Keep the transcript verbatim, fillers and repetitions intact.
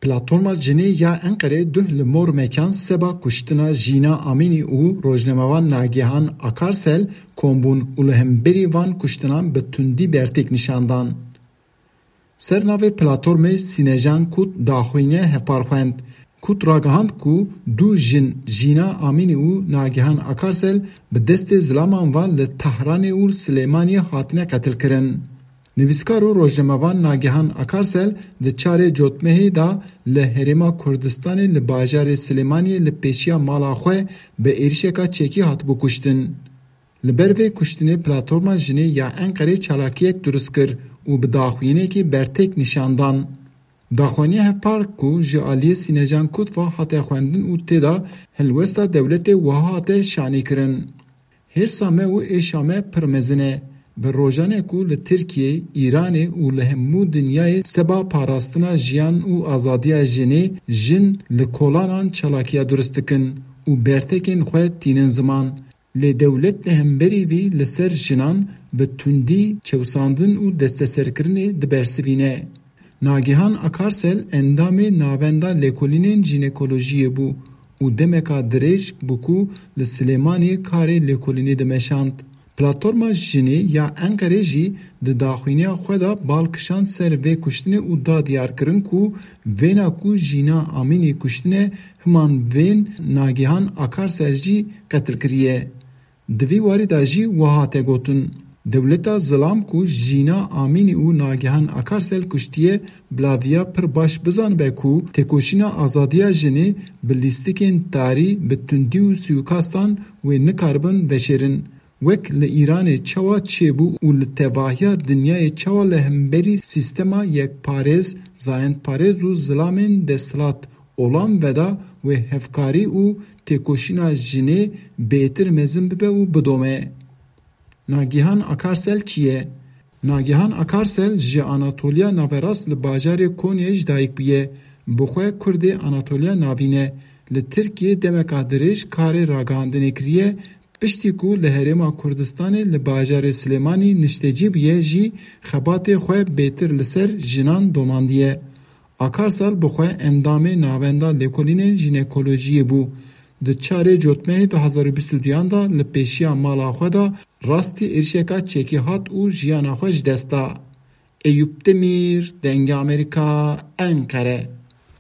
Platforma Jinê ya Enqerê duh li mor mekan seba kuştina Jîna Amînî û rojnamevan Nagihan Akarsel kom bûn û li hemberî van kuştinan bi tundî bertêk nîşan dan. Ser navê platformê Sînejan Kut daxwîne hevpar xwend. Kut ragihand ku du jin Jîna Amînî û Nagihan Akarsel bi destê zilaman ve li Tehranê û Silêmaniyê hatine qetilkirin. Nivîskar û rojnamevan Nagihan Akarsel di çarê cotmehê de li Herêma Kurdistanê li bajarê Silêmaniyê li pêşiya mala xwe bi êrişeka çekî hatibû kuştin. Li ber vê kuştinê platforma jinê ya Enqerê çalakiyek durust kir û bi daxuyaniyekê bertêk nîşan dan. Daxuyaniya hevpar ku ji aliyê Sînecan Kut ve hate xwendin û tê de helwesta dewletê wiha hate şanîkirin. Hêrsa me û êşa me pir mezin e. Bi rojanê ku li Tirkiyê, Îranê û li hemû dinyayê seba parastina jiyan û azadiya jinê, jin li kolanan çalakiya durist dikin û bertekên xwe tînin ziman. Lê dewlet li hemberî vî li ser jinan bi tundî çewsandin û desteserkirinê dibersivîne. Nagihan Akarsel endamê Navenda Lêkolînên Jînekolojiyê bû û demeka dirêj bû ku li Silêmaniyê karê lêkolînê dimeşand. Platforma Jinê ya Enqerê jî di daxuyaniya xwe de bal kişand ser vê kuştinê û da diyarkirin ku vêna ku Jîna Amînî kuştine, himan vên Nagihan Akarsel jî qetil kiriye. Di vî warî de jî wiha hate gotin, dewleta zilam ku Jîna Amînî û Nagihan Akarsel kuştiye, bila viya pir baş bizanibe ku têkoşîna azadiya jinê bi lîstikên tarî, bi tundî û sûîkastan wê nikaribin veşêrin. Wek li Îranê çawa çêbû û li tevahiya dinyayê çawa li hemberî sîstema yekparêz, zayendparêz û zilamên desthilat olan veda wê hevkarî û têkoşîna jinê bêtir mezin bibe û bidome. Nagihan Akarsel kî ye? Nagihan Akarsel ji Anatoliya Naverast li bajarê Konyayê ji dayik bûye. Bi xwe Kurdê Anatoliya Navîn e. Li Tirkiyê demeka dirêj karê ragihandinê kiriye, piştî ku li Herêma Kurdistanê li bajarê Silêmanî niştecî bûye jî xebatê xwe bêtir li ser jinan domandiye. Akarsel bi xwe endamê Navenda Lêkolînên Jînekolojiyê bû. Di çarê cotmehê du hazar û bîst û duyan de li pêşiya mala xwe de rastî êrişeka çekî hat û jiyana xwe ji dest da. Eyûp Demîr, Dengê Amerîka, Enqere.